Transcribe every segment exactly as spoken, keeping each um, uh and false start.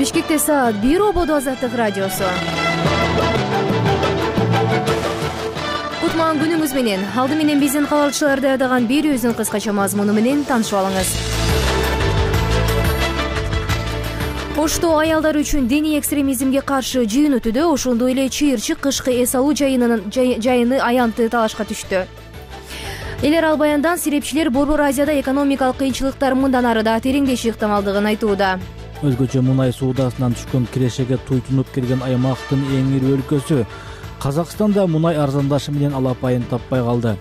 Бишкекте саат бир ободо Азаттык радиосу. Кутман күнүңүз менен. Алды менен биздин кабалчылар даярдаган берүүбүздүн кыскача мазмуну менен таанышып алыңыз. Ошто аялдар үчүн диний экстремизмге каршы жыйын өтүүдө, ошондой эле чыйырчык кышкы эс алуу жайынын жайыны аянты талашка түштү. Эл арал баяндан серепчилер Борбор Азияда экономикалык кыйынчылыктар мындан ары да тереңдеши ыктымалдыгын айтууда. Өзгөчө мунай суудасынан түшкөн кирешеге туйтунуп келген аймактын эң ири өлкөсү Казакстанда мунай арзандашы менен алапайын таппай калды.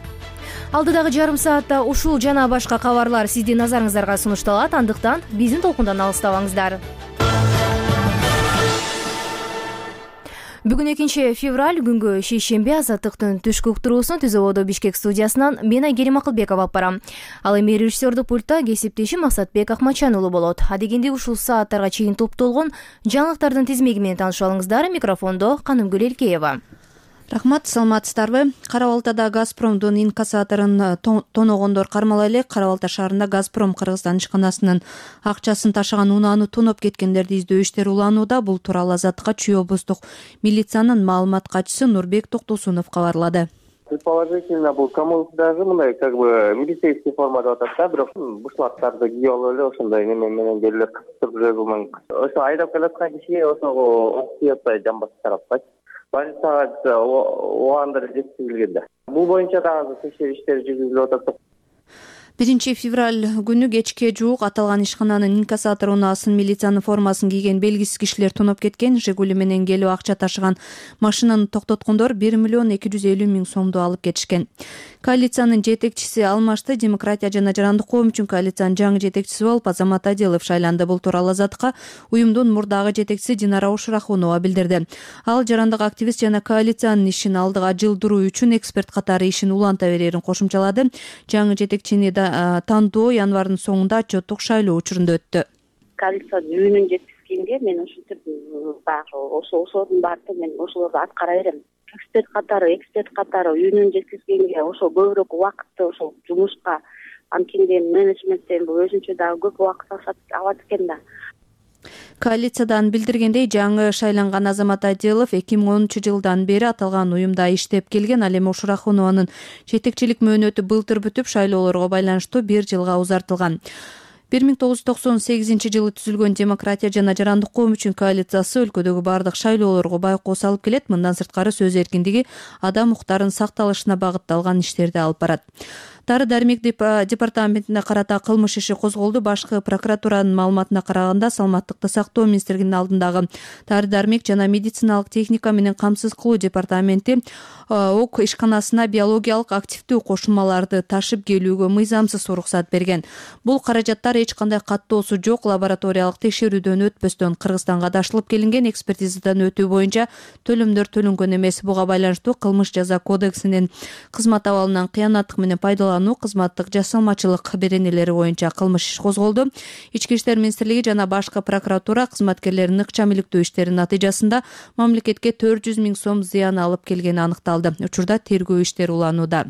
Алдыдагы жарым саатта ушул жана башка кабарлар сиздин назарыңыздарга сунушталат, андыктан биздин толкундан алыстабаңыздар. Бүгүн экинчи февраль күнгө шейшембе. Азаттыктын түшкү уктуруусун Түз ободо Бишкек студиясынан мен Айгерим Акылбекова алып барам. Ал эми режиссердик пультта кесиптешим Максатбек Акмачан уулу болот. Адегенде ушул сааттарга чейин топтолгон жаңылыктардын тизмеги менен таанышып алыңыздар. Микрофондо Канымгүл Элкеева. Рахмат, саламатсыздарбы? Кара Балтада Газпромдун инкассаторун тоногондор кармала элек. Кара Балта шаарында Газпром Кыргызстан ишканасынын акчасын ташыган унааны тоноп кеткендерди издөө иштери уланууда. Бул тууралуу Азаттыкка Чүй облустук милициянын маалымат катчысы Нурбек Токтосунов кабарлады. Предположительно, бул камуфляжы мындай как бы милицейский формада атат да, бирок бушлаттарды кийип алып эле ошондой неме менен келип кыстырып жүргөн. Ошо айдап келаткан кишиге ошого ок тийип атпай, жамбасы тараппайт. Больницага убагында жеткизилген да. Бул боюнча дагы текшерүү иштери жүргүзүлүп атат. биринчи февраль күнү кечке жуук аталган ишкананын инкассатор унаасын милициянын формасын кийген белгисиз кишилер тоноп кеткен. Жигули менен келип акча ташыган машинаны токтоткондор бир миллион эки жүз элүү миң сомду алып кетишкен. Коалициянын жетекчиси алмашты. Демократия жана жарандык коом үчүн коалициянын жаңы жетекчиси болуп Азамат Адилов шайланды. Бул тууралуу Азаттыкка уюмдун мурдагы жетекчиси Динара Ушурахунова билдирди. Ал жарандык активист жана коалициянын ишин алдыга жылдыруу үчүн эксперт катары ишин уланта берерин кошумчалады. Жаңы жетекчини тандоо январдын соңунда отчеттук шайлоо учурунда өттү. Коалиция жүйүнүн жеткизгенге мен ушинтип баягы ошо ошонун баардыгын мен ошолорду аткара берем. Эксперт катары, эксперт катары үйүнүн жеткизгенге ошо көбүрөөк убакытты ошол жумушка анткенде менеджменттен бул өзүнчө дагы көп убакыт алат экен да. Коалициядан билдиргендей, жаңы шайланган Азамат Адилов эки миң онунчу жылдан бери аталган уюмда иштеп келген. Ал эми Ушурахунованын жетекчилик мөөнөтү былтыр бүтүп, шайлоолорго байланыштуу бир жылга узартылган. бир миң тогуз жүз токсон сегизинчи жылы түзүлгөн Демократия жана жарандык коом үчүн коалициясы өлкөдөгү бардык шайлоолорго байкоо салып келет. Мындан сырткары сөз эркиндиги, адам укуктарынын сакталышына багытталган иштерди алып барат. Дары дармек департаментине карата кылмыш иши козголду. Башкы прокуратуранын маалыматына караганда, Саламаттыкты сактоо министрлигинин алдындагы дары дармек жана медициналык техника менен камсыз кылуу департаменти ок ишканасына биологиялык активдүү кошулмаларды ташып келүүгө мыйзамсыз уруксат берген. Бул каражаттар эч кандай каттоосу жок лабораториялык текшерүүдөн өтпөстөн Кыргызстанга дашылып келинген. Экспертизадан өтүү боюнча төлөмдөр төлөнгөн эмес. Буга байланыштуу кылмыш жаза кодексинин кызмат абалынан кыянаттык менен пайдалануу, кызматтык жасалмачылык беренелери боюнча кылмыш иш козголду. Ички иштер министрлиги жана башкы прокуратура кызматкерлеринин ыкчам иликтөө иштеринин натыйжасында мамлекетке төрт жүз миң сом зыян алып келгени аныкталды. Учурда тергөө иштери уланууда.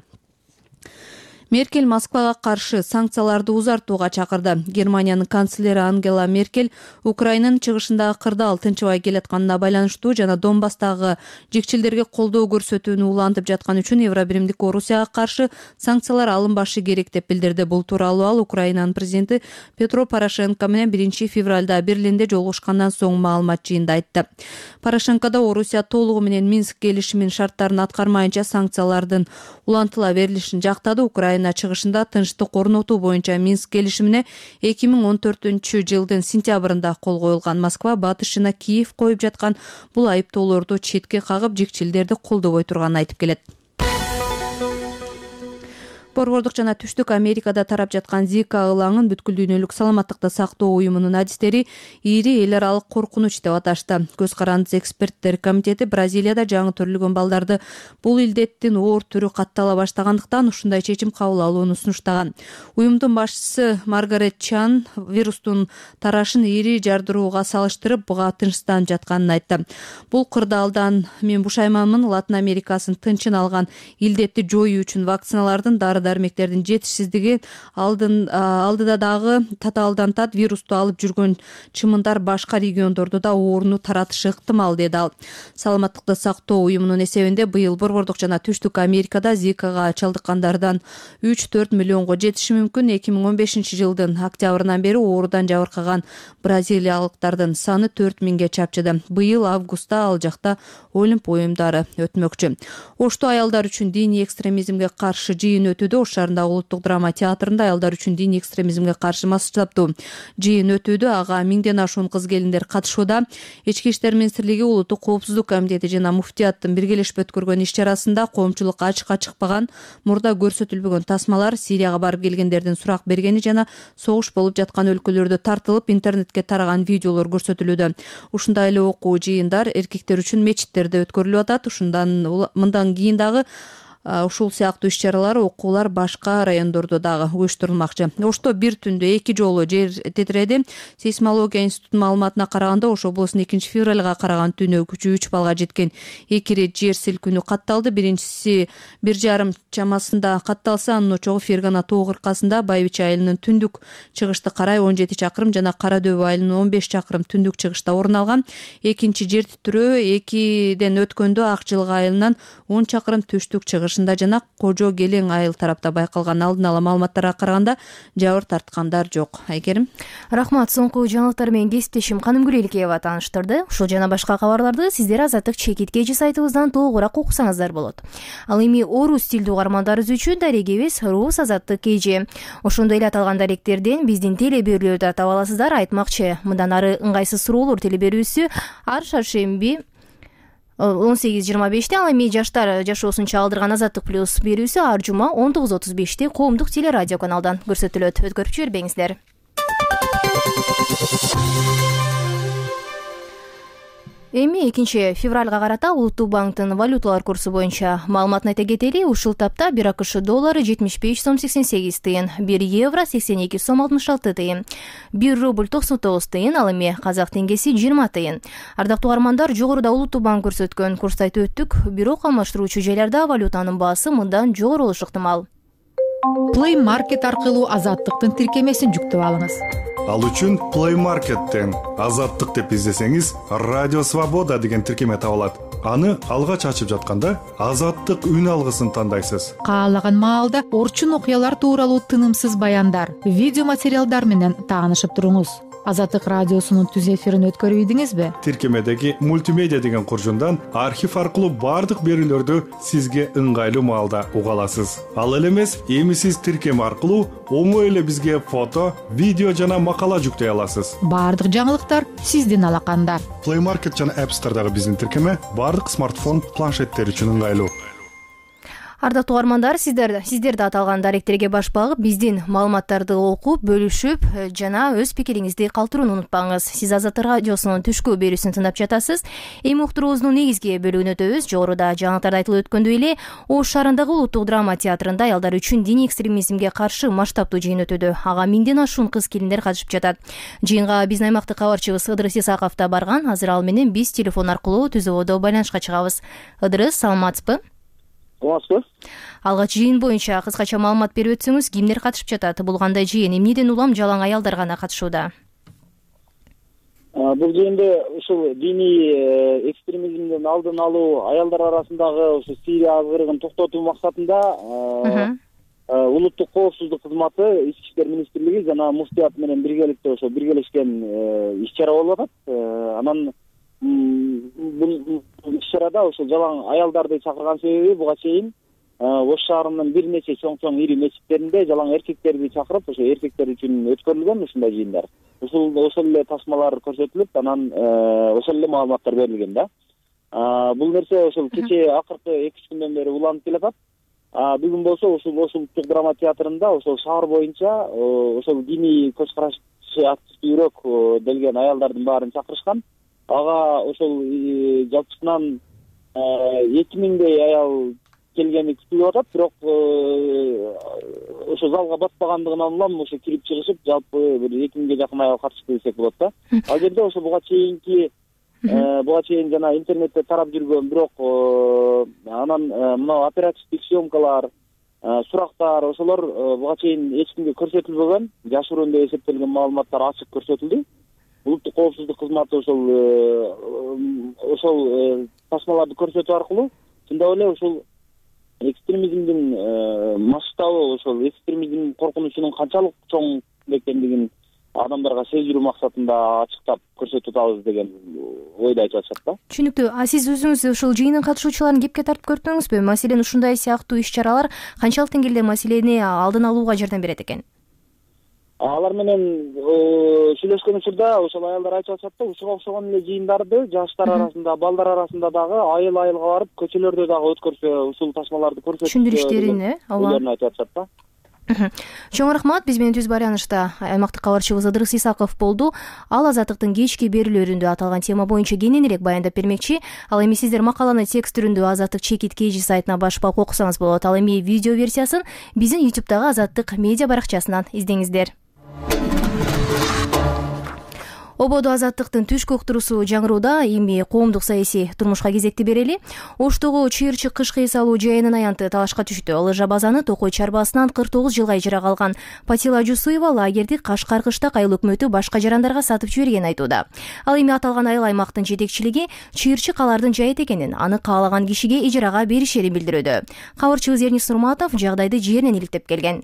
Меркель Москвага каршы санкцияларды узартууга чакырды. Германиянын канцлери Ангела Меркель Украинанын чыгышындагы кырдаал тынчыбай келатканына байланыштуу жана Донбасстагы жикчилдерге колдоо көрсөтүүнү улантып жаткан үчүн Евробиримдик Орусияга каршы санкциялар алынбашы керек деп билдирди. Бул тууралуу ал Украинанын президенти Петро Порошенко менен биринчи февралда Берлинде жолугушкандан соң маалымат жыйында айтты. Порошенко да Орусия толугу менен Минск келишиминин шарттарын аткармайынча санкциялардын улантыла берилишин жактады. Украина чыгышында тынчтык орнотуу боюнча Минск келишимине эки миң он төртүнчү жылдын сентябрында кол коюлган. Москва батышына Киев коюп жаткан бул айыптоолорду четке кагып, жикчилдерди колдобой турганын айтып келет. Борбордук жана Түштүк Америкада тарап жаткан Зика ылаңын бүткүл дүйнөлүк саламаттыкты сактоо уюмунун адистери ири эл аралык коркунуч деп аташты. Көз карандысыз эксперттер комитети Бразилияда жаңы төрөлгөн балдарды бул илдеттин оор түрү каттала баштагандыктан ушундай чечим кабыл алууну сунуштаган. Уюмдун башчысы Маргарет Чан вирустун тарашын ири жардырууга салыштырып, буга тынчсызданып жатканын айтты. Бул кырдаалдан мен бушайманмын, Латын Америкасын тынчын алган илдетти жоюу үчүн вакциналардын дары дары-дармектердин жетишсиздиги алдын алдыда дагы татаалдан тат вирусту алып жүргөн чымындар башка региондордо да ооруну таратышы ыктымал, деди ал. Саламаттыкты сактоо уюмунун эсебинде быйыл Борбордук жана Түштүк Америкада Зикага чалдыккандардан үч төрт миллионго жетиши мүмкүн. эки миң он бешинчи жылдын октябрынан бери оорудан жабыркаган бразилиялыктардын саны төрт миңге чапчыды. Быйыл августта ал жакта Олимп оюмдары өтмөкчү. Ошто аялдар үчүн диний экстремизмге каршы жыйын өтүүдө. Ош шаарындагы Улуттук драма театрында аялдар үчүн диний экстремизмге каршы масштабдуу жыйын өтүүдө. Ага миңден ашуун кыз-келиндер катышууда. Ички иштер министрлиги, Улуттук коопсуздук комитети жана муфтияттын биргелешип өткөргөн иш-чарасында коомчулукка ачыкка чыкпаган, мурда көрсөтүлбөгөн тасмалар, Сирияга барып келгендердин сурак бергени жана согуш болуп жаткан өлкөлөрдө тартылып интернетке тараган видеолор көрсөтүлүүдө. Ушундай эле окуу жыйындар эркектер үчүн мечиттерде өткөрүлүп атат. Ушундан мындан кийин дагы ушул сыяктуу иш-чаралар, окуулар башка райондордо дагы уюштурулмакчы. Ошто бир түндө эки жолу жер тетиреди. Сейсмология институтунун маалыматына караганда, Ош облусунун экинчи февралга караган түнү күчү үч балга жеткен эки ирет жер силкинүү катталды. Биринчиси бир жарым чамасында катталса, анын очогу Фергана тоо кыркасында, Байбиче айылынын түндүк чыгышты карай он жети чакырым жана Кара дөбө айылынын он беш чакырым түндүк чыгышта орун алган. Экинчи жер титирөө экиден өткөндө Ак жылгы айылынан он чакырым түштүк чыгыш жана Кожо Келең айыл тарапта байкалган. Алдын ала маалыматтарга караганда жабыр тарткандар жок. Айкерим, рахмат. Соңку жаңылыктар менен кесиптешим Каным Гүреликеева тааныштырды. Ушул жана башка кабарларды сиздер Азаттык чекит кежи сайтыбыздан толугураак окусаңыздар болот. Ал эми орус тилдүү угармандарыбыз үчүн дарегибиз Рус Азаттык кежи. Ошондой эле аталган даректерден биздин теле берүүлөрдү таап аласыздар. Айтмакчы, мындан ары ыңгайсыз суроолор теле берүүсү ар шаршемби он сегиз жыйырма беште, ал эми жаштар жашоосун чагылдырган Азаттык плюс берүүсү ар жума он тогуз отуз беште коомдук телерадио каналдан көрсөтүлөт. Өткөрүп жибербеңиздер. Эми экинчи февралга карата Улуттук банктын валюталар курсу боюнча маалыматын айта кетели. Ушул тапта бир АКШ доллары жетимиш беш сом сексен сегиз тыйын, бир евро сексен эки сом алтымыш алты тыйын, бир рубль токсон тогуз тыйын, ал эми казак теңгеси жыйырма тыйын. Ардактуу угармандар, жогоруда Улуттук банк көрсөткөн курсту айтып өттүк. Бирок алмаштыруучу жайларда валютанын баасы мындан жогору болушу ыктымал. Play Market аркылуу Азаттыктын тиркемесин жүктөп алыңыз. Ал үчүн Play Market'тен Азаттык деп издесеңиз, Радио Свобода деген тиркеме табылат. Аны алгач ачып жатканда Азаттык үн алгысын тандайсыз. Каалаган маалда орчун окуялар тууралуу тынымсыз баяндар, видео материалдар менен таанышып туруңуз. Азаттык радиосунун түз эфирин өткөрүп ийдиңизби? Тиркемедеги мультимедиа деген куржундан архив аркылуу бардык берүүлөрдү сизге ыңгайлуу маалда уга аласыз. Ал эле эмес, эми сиз тиркеме аркылуу оңой эле бизге фото, видео жана макала жүктөй аласыз. Бардык жаңылыктар сиздин алаканда. Play Market жана App Store'дагы биздин тиркеме бардык смартфон, планшеттер үчүн ыңгайлуу. Ардактуу угармандар, сиздер сиздер да аталган даректерге баш багып, биздин маалыматтарды окуп, бөлүшүп жана өз пикириңизди калтырууну унутпаңыз. Сиз Азаттык радиосунун түшкү берүүсүн тыңдап жатасыз. Эми уктуруубуздун негизги бөлүгүнө өтөбүз. Жогоруда жаңылыктарда айтылып өткөндөй эле, Ош шаарындагы Улуттук драма театрында аялдар үчүн диний экстремизмге каршы масштабдуу жыйын өтүүдө. Ага миңден ашуун кыз-келиндер катышып жатат. Жыйынга биздин аймактык кабарчыбыз Ыдырыс Исаков да барган. Азыр ал менен биз телефон аркылуу түз ободо байланышка чыгабыз. Ыдырыс, саламатсызбы? Алгач жыйын боюнча кыскача маалымат берип өтсөңүз, кимдер катышып жатат? Бул кандай жыйын? Эмнеден улам жалаң аялдар гана катышууда? Бул жыйында ушул диний экстремизмдин алдын алуу, аялдар арасындагы ушул Сирия азгырыгын токтотуу максатында Улуттук коопсуздук кызматы, Ички иштер министрлиги жана муфтият менен биргеликте ошо биргелешкен иш-чара болуп атат. Анан бул иш-чарада ошол жалаң аялдарды чакырган себеби буга чейин Ош шаарынын бир нече чоң-чоң ири мечиттеринде жалаң эркектерди чакырып, ошо эркектер үчүн өткөрүлгөн ушундай жыйындар. Ушул ошол эле тасмалар көрсөтүлүп, анан ошол эле маалыматтар берилген да. Бул нерсе ошол кече акыркы эки үч күндөн бери уланып келатат. Бүгүн болсо ушул Улуттук драма театрында ошол шаар боюнча ошол диний көз карашы активдүүрөөк делген аялдардын баарын чакырышкан. Ага ошол жалпысынан эки миңдей аял келгени күтүлүп атат, бирок ошо залга батпагандыгынан улам ошо кирип чыгышып, жалпы бир эки миңге жакын аял катышты десек болот да. Ал жерде ошо буга чейинки буга чейин жана интернетте тарап жүргөн, бирок анан мына оперативдик съемкалар, сурактар ошолор буга чейин эч кимге көрсөтүлбөгөн, жашыруун деп эсептелген маалыматтар ачык көрсөтүлдү. Улуттук коопсуздук кызматы ошол ошол тасмаларды көрсөтүү аркылуу чындап эле ушул экстремизмдин масштабы, ошол экстремизм коркунучунун канчалык чоң экендигин адамдарга сездирүү максатында ачыктап көрсөтүп атабыз деген ойду айтып атышат да. Түшүнүктүү. А сиз өзүңүз ушул жыйындын катышуучуларын кепке тартып көрдүңүзбү? Маселен, ушундай сыяктуу иш-чаралар канчалык деңгээлде маселени алдын алууга жардам берет экен? Алар менен сүйлөшкөн учурда ошол аялдар айтып атышат да, ушуга окшогон эле жыйындарды жаштар арасында, балдар арасында дагы айыл айылга барып, көчөлөрдө дагы өткөрсө, ушул тасмаларды көрсөтүп түшүндүрүштөрүн, э, ооба, айтып атышат да. Чоң рахмат. Биз менен түз байланышта аймактык кабарчыбыз Ыдырыс Исаков болду. Ал Азаттыктын кечки берүүлөрүндө аталган тема боюнча кененирээк баяндап бермекчи. Ал эми сиздер макаланы текст түрүндө Азаттык чекит кж сайтына башпап окусаңыз болот. Ал эми видео версиясын биздин ютубтагы Азаттык медиа баракчасынан издеңиздер. Ободо Азаттыктын түшкү уктуруусу жаңырууда. Эми коомдук саясий турмушка кезекти берели. Оштогу чыйырчык кышкы эс алуу жайынын аянты талашка түштү. Лыжа базаны Токой чарбасынан кырк тогуз жылга ижарага алган Патила Жусуева лагерди Кашкар кыштак айыл өкмөтү башка жарандарга сатып жибергенин айтууда. Ал эми аталган айыл аймактын жетекчилиги чыйырчык алардын жайыт экенин, аны каалаган кишиге ижарага беришерин билдирүүдө. Кабарчыбыз Эрнис Нурматов жагдайды жеринен иликтеп келген.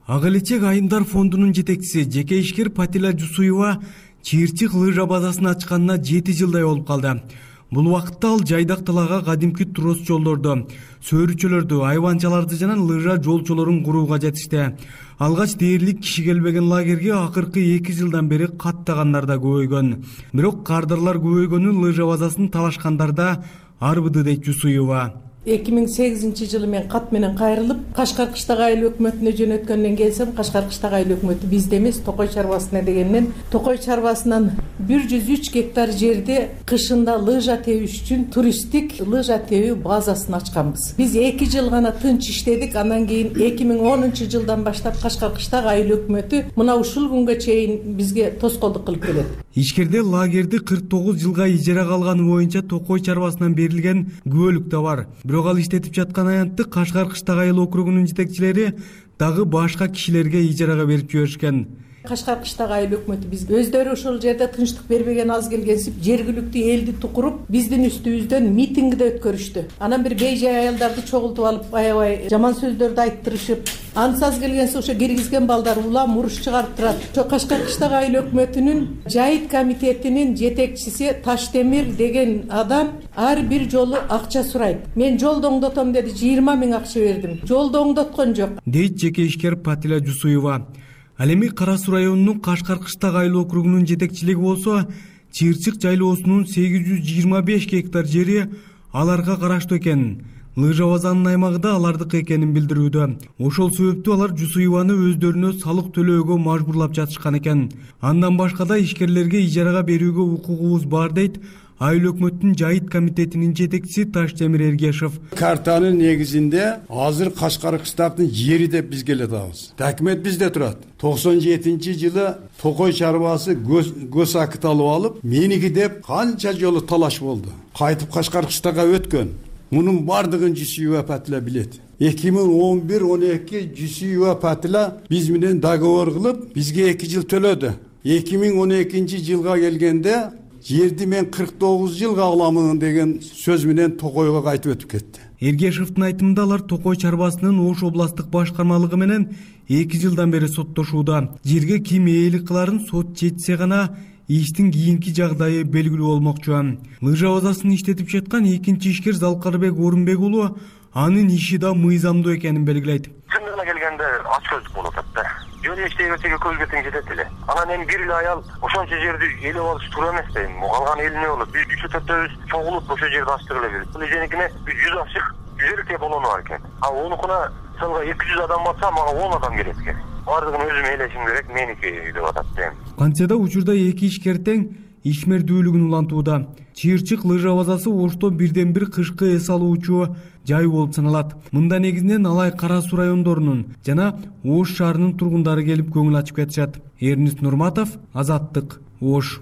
Ак элечек айымдар фондунун жетекчиси жеке ишкер Патила Жусуева чыйырчык лыжа базасын ачканына жети жылдай болуп калды. Бул убакытта ал жайдак тылага кадимки трос жолдорду, сөөрүчөлөрдү, айванчаларды жана лыжа жолчолорун курууга жетишти. Алгач дээрлик киши келбеген лагерге акыркы эки жылдан бери каттагандар да көбөйгөн. Бирок кардарлар көбөйгөнү лыжа базасын талашкандарда арбыды дейт Жусуева. эки миң сегизинчи жылы мен кат менен кайрылып Кашкар кыштак айыл өкмөтүнө жөнөткөндөн келсем, Кашкар кыштак айыл өкмөтү бизде эмес, Токой чарбасына дегеннен Токой чарбасынан бир жүз үч гектар жерде кышында лыжа тебиш үчүн туристтик лыжа тебүү базасын ачканбыз. Биз эки жыл гана тынч иштедик. Андан кийин эки миң онунчу жылдан баштап Кашкар кыштак айыл өкмөтү мына ушул күнгө чейин бизге тоскоолдук кылып келет. Ишкерде лагерди кырк тогуз жылга ижарага алганы боюнча Токой чарбасынан берилген күбөлүк да бар. Бирок ал иштетип жаткан аянтты Кашкар кыштак айыл округунун жетекчилери дагы башка кишилерге ижарага берип жиберишкен. Кашкар кыштак айыл өкмөтү биз өздөрү ошол жерде тынчтык бербеген аз келгенсип жергиликтүү элди тукуруп биздин үстүбүздөн митингди өткөрүштү. Анан бир бейжай аялдарды чогултуп алып аябай жаман сөздөрдү айттырышып, ансаз келгенсе ошо киргизген балдар улам уруш чыгарып турат. Ошо Кашкар кыштак айыл өкмөтүнүн жайыт комитетинин жетекчиси Таштемир деген адам ар бир жолу акча сурайт. Мен жолду оңдотом деди, жыйырма миң акча бердим. Жолду оңдоткон жок. Дейт жеке ишкер Патила Жусуева. Ал эми Кара Суу районунун Кашкар кыштак айыл округунун жетекчилиги болсо, чыйырчык жайлоосунун сегиз жүз жыйырма беш гектар жери аларга караштуу экен. Лыжа базанын аймагында алардыкы экенин билдирүүдө. Ошол себептүү алар Жусуеваны өздөрүнө салык төлөөгө мажбурлап жатышкан экен. Андан башка да ишкерлерге ижарага берүүгө укугубуз бар дейт айыл өкмөттүн жайыт комитетинин жетекчиси Таштемир Эргешев. Картанын негизинде азыр Кашкар кыштактын жери деп биз келе атабыз. Документ бизде турат. токсон жетинчи жылы Токой чарбасы көз акыт алып алып, меники деп канча жолу талаш болду. Кайтып Кашкар кыштакка өткөн. Мунун бардыгын Жусуева Патила билет. эки миң он бир он эки Жусуева Патила биз менен договор кылып, бизге эки жыл төлөдү. эки миң он экинчи жылга келгенде жерди мен кырк тогуз жылга аламын деген сөз менен Токойго кайтып өтүп кетти. Эргешевдин айтымында алар Токой чарбасынын Ош областтык башкармалыгы менен эки жылдан бери соттошууда. Жерге ким ээлик кыларын сот чечсе гана иштин кийинки жагдайы белгилүү болмокчу. Лыжа базасын иштетип жаткан экинчи ишкер Залкарбек Орунбек уулу анын иши да мыйзамдуу экенин белгилейт. Чындыгына келгенде ач көздүк болуп атат да. Жөн иштей берсеге көзгө тең жетет эле. Анан эми бир эле аял ошончо жерди ээлеп алыш туура эмес дейм. Калган эл эмне болот? Биз үч төртөөбүз чогулуп ошо жерди ачтыра элебиз. Бул эженикине жүз ашык жүз элүү болону бар экен. А онукуна сылга эки жүз адам батса, мага он адам келет экен. Бардыгын өзүм ээлешим керек, меники деп атат дейм. Кантсе да учурда эки ишкер тең ишмердүүлүгүн улантууда. Чыйырчык лыжа базасы Ошто бирден бир кышкы эс алуучу жай болуп саналат. Мында негизинен Алай Кара Суу райондорунун жана Ош шаарынын тургундары келип көңүл ачып кетишат. Эрнис Нурматов, Азаттык, Ош.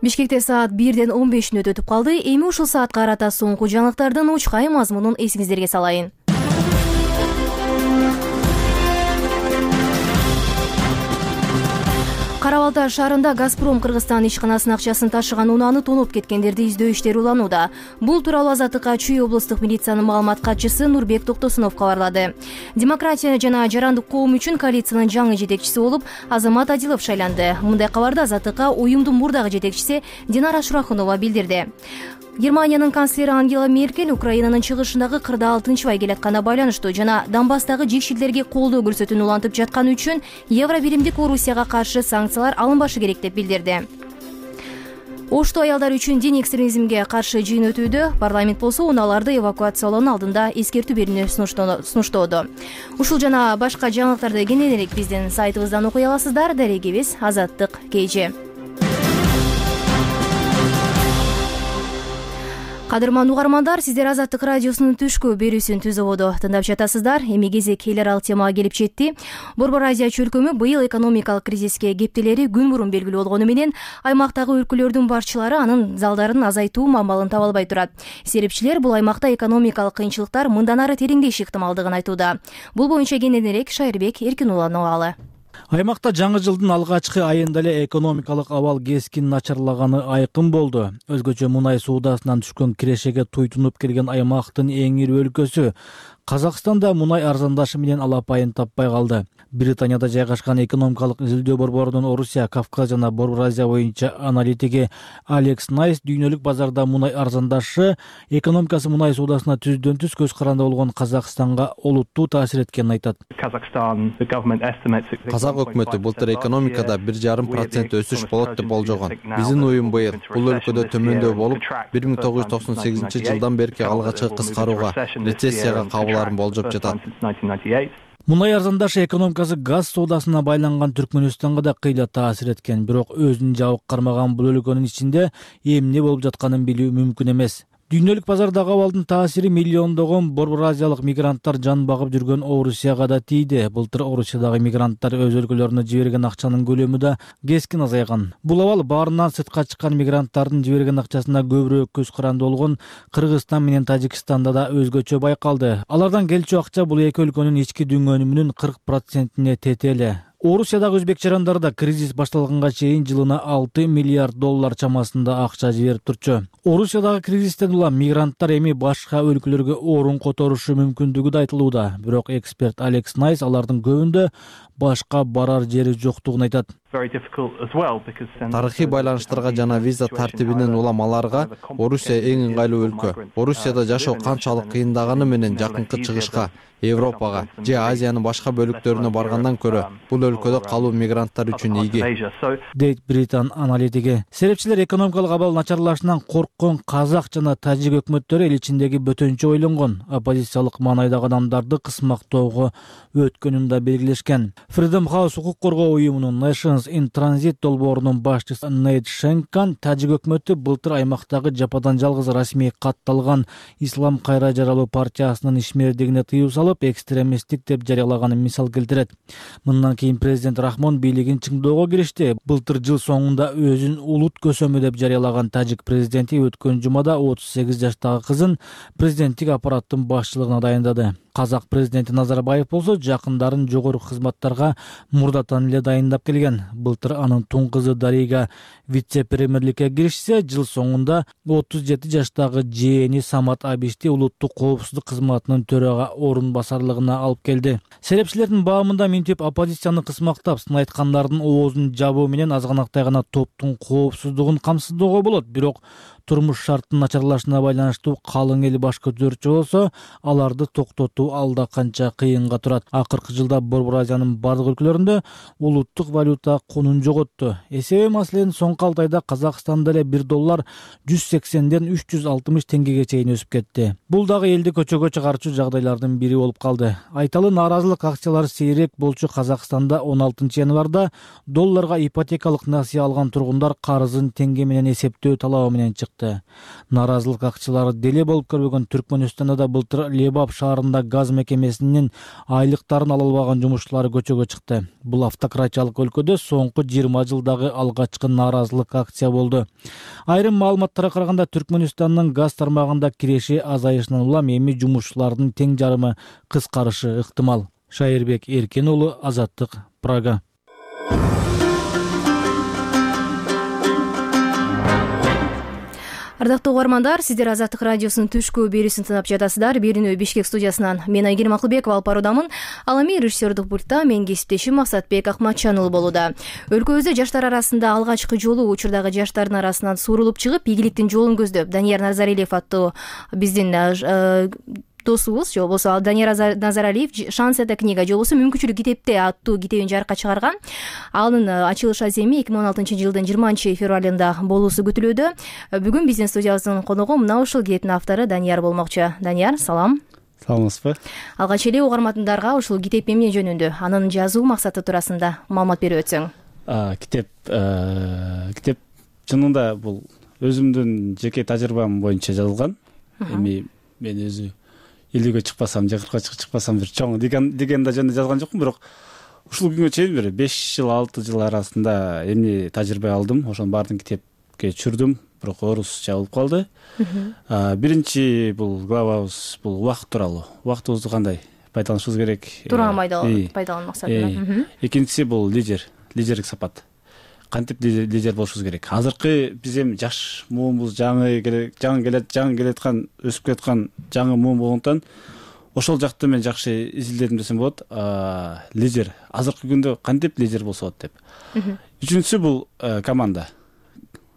Бишкекте саат бирден он беш мүнөт өтүп калды. Эми ушул саатка карата соңку жаңылыктардын учкай мазмунун эсиңиздерге салайын. Кара Балта шаарында Газпром Кыргызстан ишканасынын акчасын ташыган унааны тоноп кеткендерди издөө иштери уланууда. Бул тууралуу Азаттыкка Чүй облустук милициянын маалымат катчысы Нурбек Токтосунов кабарлады. Демократия жана жарандык коом үчүн коалициянын жаңы жетекчиси болуп Азамат Адилов шайланды. Мындай кабарды Азаттыкка уюмдун мурдагы жетекчиси Динара Шурахунова билдирди. Германиянын канцлери Ангела Меркель Украинанын чыгышындагы кырдаал тынчыбай келатканына байланыштуу жана Донбасстагы жекшилдерге колдоо көрсөтүүнү улантып жатканы үчүн Евро биримдик Орусияга каршы санкциялар алынбашы керек деп билдирди. Ошто аялдар үчүн дин экстремизмге каршы жыйын өтүүдө. Парламент болсо унааларды эвакуациялоонун алдында эскертүү берүүнү сунуштоодо. Ушул жана башка жаңылыктарды кененирээк биздин сайтыбыздан окуй аласыздар. Дарегибиз Азаттык кж. Кадырман угармандар, сиздер Азаттык радиосунун түшкү берүүсүн Түз ободо тыңдап жатасыздар. Эми кезек эл аралык темага келип жетти. Борбор Азия чөлкөмү быйыл экономикалык кризиске кептелери күн мурун белгилүү болгону менен аймактагы өлкөлөрдүн башчылары анын залдарын азайтуу мамалын таба албай турат. Серепчилер бул аймакта экономикалык кыйынчылыктар мындан ары тереңдеши ыктымалдыгын айтууда. Бул боюнча кененирээк Шайырбек Эркинуланын абалы. Аймакта жаңы жылдын алгачкы айында эле экономикалык абал кескин начарлаганы айкын болду. Өзгөчө мунай суудасынан түшкөн кирешеге туйтунуп келген аймактын эң ири өлкөсү Казакстанда мунай арзандашы менен алапайын таппай калды. Британияда жайгашкан экономикалык изилдөө борборунун Орусия, Кавказ жана Борбор Азия боюнча аналитиги Алекс Найс дүйнөлүк базарда мунай арзандашы экономикасы мунай суудасына түздөн түз көз каранды болгон Казакстанга олуттуу таасир эткенин айтат. Казак өкмөтү былтыр экономикада бир жарым процент өсүш болот деп болжогон. Биздин уюм быйыл бул өлкөдө төмөндөй болуп, бир миң тогуз жүз токсон сегизинчи жылдан берки алгачкы кыскарууга, рецессияга кабыларын болжоп жатат. Мунай арзандашы экономикасы газ соодасына байланган Түркмөнстанга да кыйла таасир эткен, бирок өзүн жабык кармаган бул өлкөнүн ичинде эмне болуп жатканын билүү мүмкүн эмес. Дүйнөлүк базардагы абалдын таасири миллиондогон борбор азиялык мигранттар жан багып жүргөн Орусияга да тийди. Былтыр Орусиядагы мигранттар өз өлкөлөрүнө жиберген акчанын көлөмү да кескин азайган. Бул абал баарынан сыртка чыккан мигранттардын жиберген акчасына көбүрөөк көз каранды болгон Кыргызстан менен Тажикстанда да өзгөчө байкалды. Алардан келчү акча бул эки өлкөнүн ички дүңгөнүмүнүн кырк процентине тетели. Орусиядагы өзбек жарандары да кризис башталганга чейин жылына алты миллиард доллар чамасында акча жиберип турчу. Орусиядагы кризистен улам мигранттар эми башка өлкөлөргө орун которушу мүмкүндүгү да айтылууда. Бирок эксперт Алекс Найс алардын көбүндө башка барар жери жоктугун айтат. Тарыхый байланыштарга жана виза тартибинен улам аларга Орусия эң ыңгайлуу өлкө. Орусияда жашоо канчалык кыйындаганы менен жакынкы чыгышка, Европага же Азиянын башка бөлүктөрүнө баргандан көрө бул өлкөдө калуу мигранттар үчүн ийги, дейт Британ аналитиги. Серепчилер экономикалык абал начарлашынан корккон казак жана тажик өкмөттөрү эл ичиндеги бөтөнчө ойлонгон, оппозициялык маанайдагы адамдарды кысмактоого өткөнүн да белгилешкен. Freedom House укук коргоо уюмунун Nations in Transit долбоорунун башчысы Нейт Шенкан тажик өкмөтү былтыр аймактагы жападан жалгыз расмий катталган Ислам кайра жаралуу партиясынын ишмердигине тыюу салып, экстремисттик деп жарыялаганын мисал келтирет. Мындан кийин президент Рахмон бийлигин чыңдоого киришти. Былтыр жыл соңунда өзүн улут көсөмү деп жарыялаган тажик президенти өткөн жумада отуз сегиз жаштагы кызын президенттик аппараттын башчылыгына дайындады. Казак президенти Назарбаев болсо жакындарын жогорку кызматтарга мурдатан эле дайындап келген. Былтыр анын тун кызы Дарига вице-премьерликке киришсе, жыл соңунда отуз жети жаштагы жээни Самат Абишти улуттук коопсуздук кызматынын төрага орун басарлыгына алып келди. Серепчилердин баамында минтип оппозицияны кысмактап, сын айткандардын оозун жабуу менен азганактай гана топтун коопсуздугун камсыздоого болот. Бирок турмуш шарттын начарлашына байланыштуу калың эл баш көтөрчү болсо, аларды токтотуу алда канча кыйынга турат. Акыркы жылда Борбор Азиянын бардык өлкөлөрүндө улуттук валюта конун жоготту. Эсеби маселенин соңку алты айда Казакстанда эле бир доллар жүз сексенден үч жүз алтымыш теңгеге чейин өсүп кетти. Бул дагы элди көчөгө чыгарчу жагдайлардын бири болуп калды. Айталы нааразылык акциялары сейрек болчу Казакстанда он алтынчы январда долларга ипотекалык насыя алган тургундар карызын теңге менен эсептөө талабы менен чыкты. чыкты. Нааразылык акчылары деле болуп көрбөгөн Түркмөнстанда да былтыр Лебап шаарында газ мекемесинин айлыктарын ала албаган жумушчулары көчөгө чыкты. Бул автократиялык өлкөдө соңку жыйырма жылдагы алгачкы нааразылык акция болду. Айрым маалыматтарга караганда Түркмөнстандын газ тармагында киреши азайышынан улам эми жумушчулардын тең жарымы кыскарышы ыктымал. Шайырбек Эркен уулу, Азаттык, Прага. Ардактуу угармандар, сиздер Азаттык радиосунун түшкү берүүсүн тыңдап жатасыздар. Берүүнү Бишкек студиясынан мен Айгерим Акылбекова алып баруудамын. Ал эми режиссердук пультта менин кесиптешим Максатбек Акматжан уулу болууда. Өлкөбүздө жаштар арасында алгачкы жолу учурдагы жаштардын арасынан суурулуп чыгып, ийгиликтин жолун көздөп, Данияр Назаралиев аттуу биздин досубуз, же болбосо Данияр Назаралиев «Шанс это книга» же болбосо «Мүмкүнчүлүк китепте» аттуу китебин жарыкка чыгарган. Анын ачылыш аземи эки миң он алтынчы жылдын жыйырманчы февралында болуусу күтүлүүдө. Бүгүн биздин студиябыздын коногу мына ушул китептин автору Данияр болмокчу. Данияр, салам. Саламатсызбы? Алгач эле угармандарга ушул китеп эмне жөнүндө, анын жазуу максаты туурасында маалымат берип өтсөң. Китеп китеп чынында бул өзүмдүн жеке тажрыйбам боюнча жазылган. Эми мен өзү элүүгө чыкпасам, же кыркка чыкпасам бир чоң легенда жөнүндө жазган жокмун, бирок ушул күнгө чейин бир беш жыл, алты жыл арасында эмне тажрыйба алдым, ошонун баарын китепке түшүрдүм, бирок орусча болуп калды. Биринчи бул главабыз бул убакыт тууралуу. Убактыбызды кандай пайдаланышыбыз керек? Туура пайдалануу максатында. Экинчиси бул лидер, лидерлик сапат. Кантип лидер болушубуз керек? Азыркы биз эми жаш муунбуз, жаңы жаңы келет, жаңы келаткан, өсүп кеткан жаңы муун болгондуктан ошол жакты мен жакшы изилдедим десем болот. Лидер азыркы күндө кантип лидер болсо болот деп. Үчүнчүсү бул команда.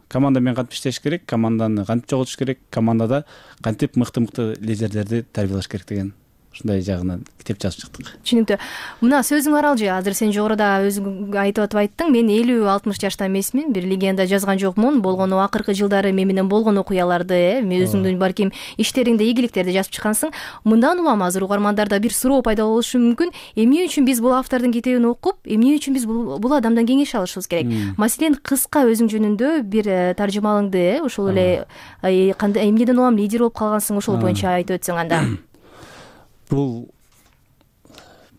Команда менен кантип иштеш керек, команданы кантип жоготуш керек, командада кантип мыкты-мыкты лидерлерди тарбиялаш керек деген ушундай жагынан китеп жазып чыктык. Түшүнүктүү. Мына сөзүң аралжы, азыр сен жогоруда өзүң айтып атып айттың. Мен элүү алтымыш жашта эмесмин, бир легенда жазган жокмун. Болгону акыркы жылдары мен менен болгон окуяларды, мен өзүңдүн балким иштериңде ийгиликтерди жазып чыккансың. Мындан улам азыр угармандарда бир суроо пайда болушу мүмкүн. Эмне үчүн биз бул автордун китебин окуп, эмне үчүн биз бул адамдан кеңеш алышыбыз керек? Маселен, кыска өзүң жөнүндө бир таржымалыңды, ошол эле кандай эмнеден улам лидер болуп калгансың, ошол боюнча айтып өтсөң анда. Бул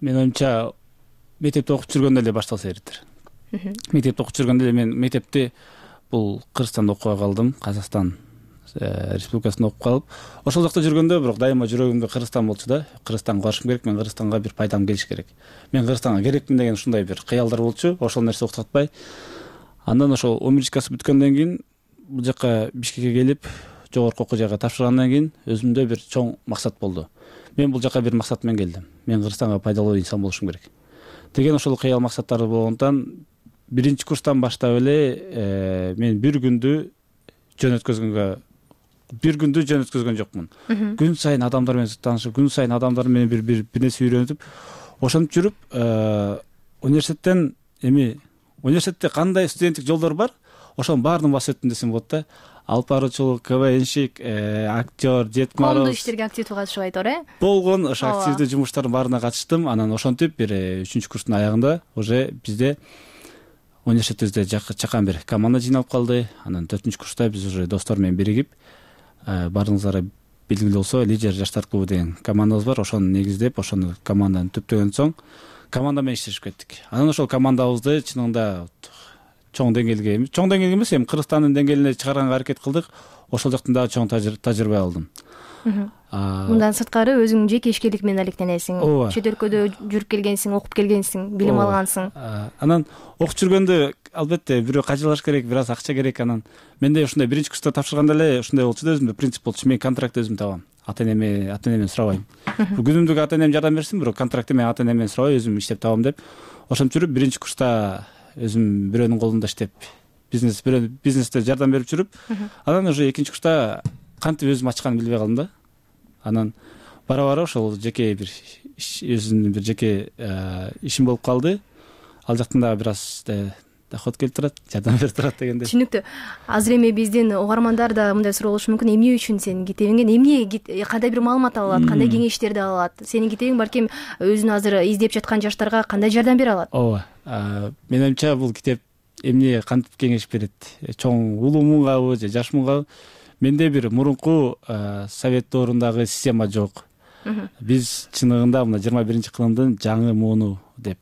мен оюмча мектепте окуп жүргөндө эле башталса керектир. Мектепте окуп жүргөндө эле мен мектепти бул Кыргызстанда окуп калдым, Казакстан Республикасында окуп калып, ошол жакта жүргөндө бирок дайыма жүрөгүмдө Кыргызстан болчу да. Кыргызстанга барышым керек, мен Кыргызстанга бир пайдам келиш керек. Мен Кыргызстанга керекмин деген ушундай бир кыялдар болчу. Ошол нерсе уктатпай, андан ошол он биринчи класс бүткөндөн кийин бул жака Бишкекке келип, жогорку окуу жайга тапшыргандан кийин өзүмдө бир чоң максат болду. Мен бул жака бир максат менен келдим. Мен Кыргызстанга пайдалуу инсан болушум керек деген ошол кыял максаттары болгондон биринчи курстан баштап эле мен бир күндү жөн өткөзгөнгө бир күндү жөн өткөзгөн жокмун. Күн сайын адамдар менен таанышып, күн сайын адамдар менен бир бир нерсе үйрөнүп, ошентип жүрүп, университеттен эми университетте кандай студенттик жолдор бар, ошонун баарын басып өттүм десем болот да. Алып баруучулук, КВНщик, актер, Дед Мороз. Коомдук иштерге активдүү катышып айтор, э? Болгон ошо активдүү жумуштардын баарына катыштым. Анан ошентип бир үчүнчү курстун аягында уже бизде университетибизде чакан бир команда жыйналып калды. Анан төртүнчү курста биз уже достор менен биригип, баарыңыздарга белгилүү болсо, Лидер жаштар клубу деген командабыз бар. Ошону негиздеп, ошону команданы түптөгөн соң команда менен иштешип кеттик. Анан ошол командабызды чынында чоң деңгээлге, чоң деңгээлге эмес, эми Кыргызстандын деңгээлине чыгарганга аракет кылдык. Ошол жактан дагы чоң тажрыйба алдым. Мындан сырткары өзүң жеке ишкерлик менен алектенесиң. Чет өлкөдө жүрүп келгенсиң, окуп келгенсиң, билим алгансың. Анан окуп жүргөндө албетте бирөө кажылаш керек, бир аз акча керек. Анан менде ушундай биринчи курста тапшырганда эле ушундай болчу да, өзүмдө принцип болчу. Мен контракт өзүм табам. Ата-энеме, ата-энемден сурабайм. Күнүмдүк ата-энем жардам берсин, бирок контрактты мен ата-энемден сурабай, өзүм иштеп табам деп. Ошентип жүрүп биринчи курста өзүм бирөөнүн колунда иштеп, бизнес бирөө бизнесте жардам берип жүрүп, анан уже экинчи курста кантип өзүм ачканын билбей калдым да. Анан бара-бара ошол жеке бир өзүмдүн бир жеке ишим болуп калды. Ал жактан дагы бир аз доход келип турат, жардам берип турат дегенде. Түшүнүктүү. Азыр эми биздин угармандар да мындай суроо болушу мүмкүн. Эмне үчүн сенин китебиңден эмне, кандай бир маалымат ала алат, кандай кеңештерди ала алат? Сенин китебиң балким өзүн азыр издеп жаткан жаштарга кандай жардам бере алат? Ооба. Менин оюмча бул китеп эмне кантип кеңеш берет? Чоң улуу муунгабы же жаш муунгабы? менде бир мурунку совет доорундагы система жок. Биз чыныгында мына жыйырма биринчи кылымдын жаңы мууну деп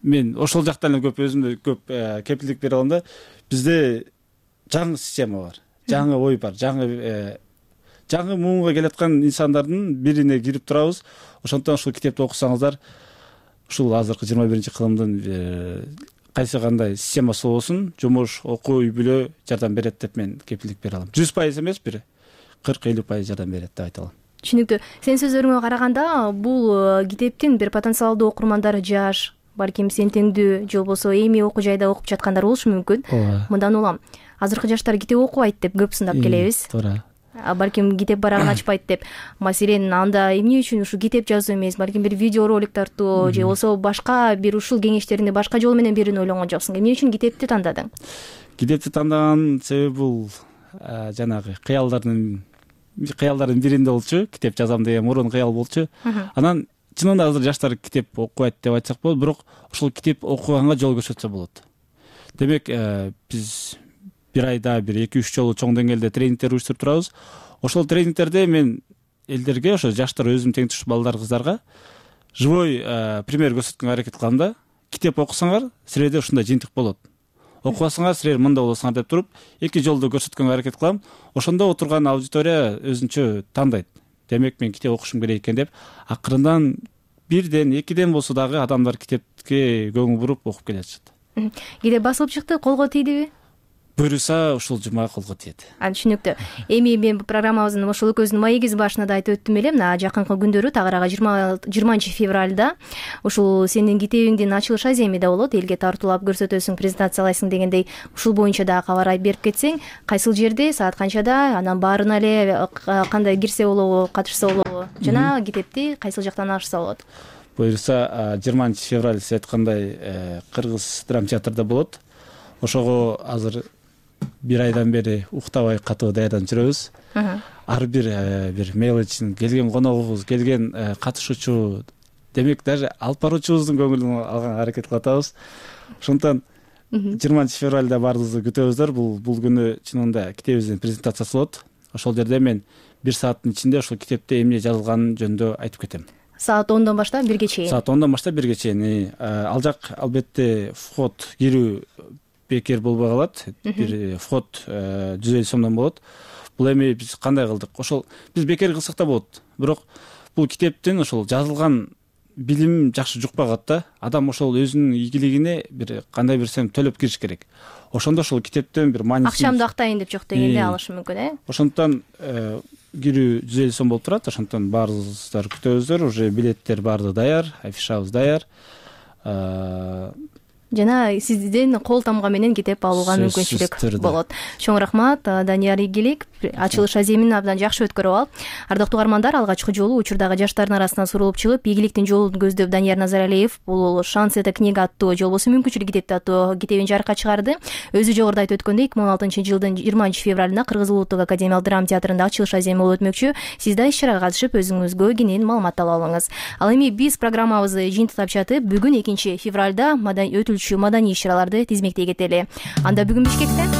мен ошол жактан эле көп өзүмдө көп кепилдик бере алам да. Бизде жаңы система бар, жаңы ой бар, жаңы жаңы муунга келаткан инсандардын бирине кирип турабыз. Ошондон ушул китепти окусаңыздар, ушул азыркы жыйырма биринчи кылымдын кайсы кандай системасы болсун, жумуш, окуу, үй бүлө жардам берет деп мен кепилдик бере алам. жүз пайыз эмес, бир кырк элүү пайыз жардам берет деп айта алам. Түшүнүктүү. Сенин сөзүңөргө караганда бул китептин бир потенциалдуу окурмандары жаш, балким сен теңдүү же болбосо эми окуу жайда окуп жаткандар болушу мүмкүн. Мындан улам азыркы жаштар китеп окубайт деп көп сындап келебиз. Туура. Балким китеп барагын ачпайт деп. Маселен, анда эмне үчүн ушул китеп жазуу эмес, балким бир видео ролик тартуу же болбосо башка бир ушул кеңештеринде башка жол менен биrini ойлонгон жоксуң. Эмне үчүн китепти тандадың? Китепти тандаган себеби бул жанагы кыялдардын кыялдардын биринде болчу. Китеп жазам деген мурун кыял болчу. Анан чынында азыр жаштар китеп окубайт деп айтсак болот, бирок ошол китеп окуганга жол көрсөтсө болот. Демек, биз бир айда бир эки үч жолу чоң деңгээлде тренингтер уюштуруп турабыз. Ошол тренингтерде мен элдерге, ошо жаштар өзүм тең туш балдар, кыздарга живой пример көрсөткөнгө аракет кылам да. Китеп окусаңар, силерде ушундай жыйынтык болот. Окубасаңар, силер мында болосуңар деп туруп, эки жолду көрсөткөнгө аракет кылам. Ошондо отурган аудитория өзүнчө тандайт. Демек, мен китеп окушум керек экен деп, акырындан бирден, экиден болсо дагы адамдар китепке көңүл буруп окуп келе жатышат. Китеп басылып чыкты, колго тийдиби? Буюрса, ушул жума колго тиет. Түшүнүктүү. Эми мен программабыздын ошол экөөбүздүн маегибиз башында да айтып өттүм эле, мына жакынкы күндөрү тагыраагы жыйырманчы февралда ушул сенин китебиңдин ачылыш аземи да болот, элге тартуулап көрсөтөсүң, презентациялайсың дегендей. Ушул боюнча дагы кабар берип кетсең, кайсыл жерде, саат канчада, анан баарына эле кандай кирсе болобу, катышса болобу, жана китепти кайсыл жактан алышса болот? Буюрса, жыйырманчы февраль сиз айткандай Кыргыз драма театрда болот. Ошого азыр бир айдан бери уктабай катуу даярданып жүрөбүз. Ар бир бир мелочин, келген коногубуз, келген катышуучу, демек даже алып баруучубуздун көңүлүн алганга аракет кылып атабыз. Ошондон жыйырманчы февралда баарыбызды күтөбүздөр. Бул бул күнү чынында китебибиздин презентациясы болот. Ошол жерде мен бир сааттын ичинде ошол китепте эмне жазылганын жөнүндө айтып кетем. Саат ондон баштап бирге чейин. Саат ондон баштап бирге чейин. Ал жак албетте вход, кирүү бекер болбой калат. Бир вход жүз элүү сомдон болот. Бул эми биз кандай кылдык? Ошол биз бекер кылсак да болот. Бирок бул китептин ошол жазылган билим жакшы жукпай калат да. Адам ошол өзүнүн ийгилигине бир кандай бирсем төлөп кириш керек. Ошондо ошол китептен бир мааниси. Акчамды актайын деп жок дегенде алышы мүмкүн, э? Ошондон кирүү жүз элүү сом болуп турат. Ошондон баарыңыздар күтөбүздөр. Уже билеттер баардыгы даяр, афишабыз даяр. Жана сизден кол тамга менен китеп алууга мүмкүнчүлүк болот. Чоң рахмат, Данияр Ийгилик. Ачылыш аземин абдан жакшы өткөрүп алып, ардактуу угармандар, алгачкы жолу учурдагы жаштардын арасынан сурулуп чыгып, ийгиликтин жолун көздөп Данияр Назаралиев бул «Шанс это книга» аттуу, же болбосо мүмкүнчүлүк китепти аттуу китебин жарыкка чыгарды. Өзү жогоруда айтып өткөндөй, эки миң он алтынчы жылдын жыйырманчы февралында Кыргыз Улуттук академиялык драма театрында ачылыш аземи болуп өтмөкчү. Сиз да иш-чарага катышып, өзүңүзгө кенен маалымат ала алыңыз. Ал эми биз программабызды жыйынтыктап жатып, бүгүн экинчи февралда өтүлчү маданий иш-чараларды тизмектей кетели. Анда бүгүн Бишкекте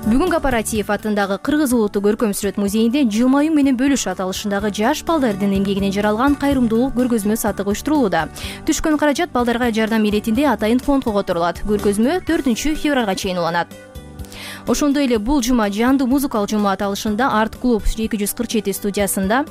Бүгүн Кооператив атындагы Кыргыз Улуттук көркөм сүрөт музейинде жылмаюу менен бөлүш аталышындагы жаш балдардын эмгегинен жаралган кайрымдуулук көргөзмө сатыгы уюштурулууда. Түшкөн каражат балдарга жардам иретинде атайын фондго которулат. Көргөзмө төртүнчү февралга чейин уланат. Ошондой эле бул жума жандуу музыкалык жума аталышында Арт клуб эки жүз кырк жети студиясында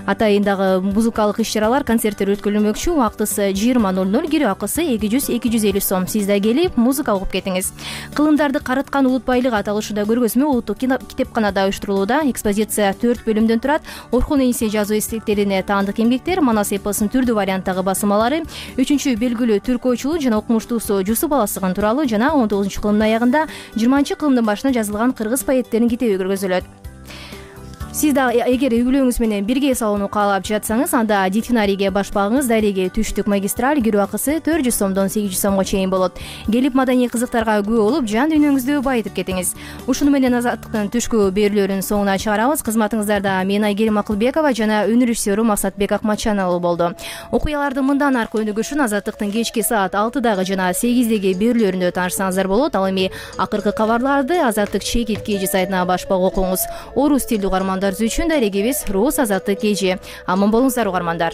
атайындагы музыкалык иш-чаралар, концерттер өткөрүлмөкчү. Убактысы жыйырма ноль ноль, кирүү акысы эки жүз эки жүз элүү сом. Сиз да келип, музыка угуп кетиңиз. Кылымдарды карыткан улут байлыгы аталышында көргөзмө улуттук китепканада уюштурулууда. Экспозиция төрт бөлүмдөн турат. Орхун Энисе жазуу эстеликтерине таандык эмгектер, Манас эпосунун түрдүү варианттагы басымалары, үчүнчү белгилүү түрк ойчулу жана окумуштуусу Жусуп Аласыгын тууралуу жана он тогузунчу кылымдын аягында жыйырманчы кылымдын башында жазылган кыргыз поэттеринин китеби көргөзүлөт. сиз да эгер үй бүлөңүз менен бирге эс алууну каалап жатсаңыз, анда дельфинарийге баш багыңыз. Дареге түштүк магистраль кирүү акысы төрт жүз сомдон сегиз жүз сомго чейин болот. Келип маданий кызыктарга күбө болуп, жан дүйнөңүздү байытып кетиңиз. Ушуну менен Азаттыктын түшкү берүүлөрүнүн соңуна чыгарабыз. Кызматыңыздарда мен Айгерим Акылбекова жана өнөр режиссеру Максатбек Акматжан уулу болду. Окуяларды мындан аркы өнүгүшүн Азаттыктын кечки саат алтыдагы жана сегиздеги берүүлөрүндө таанышсаңыздар болот. Ал эми акыркы кабарларды Азаттык чекит кж сайтына башпак окуңуз. Орус тилдүү угармандар үчүн дарегибиз Роз Азаттык кж. Аман болуңуздар угармандар.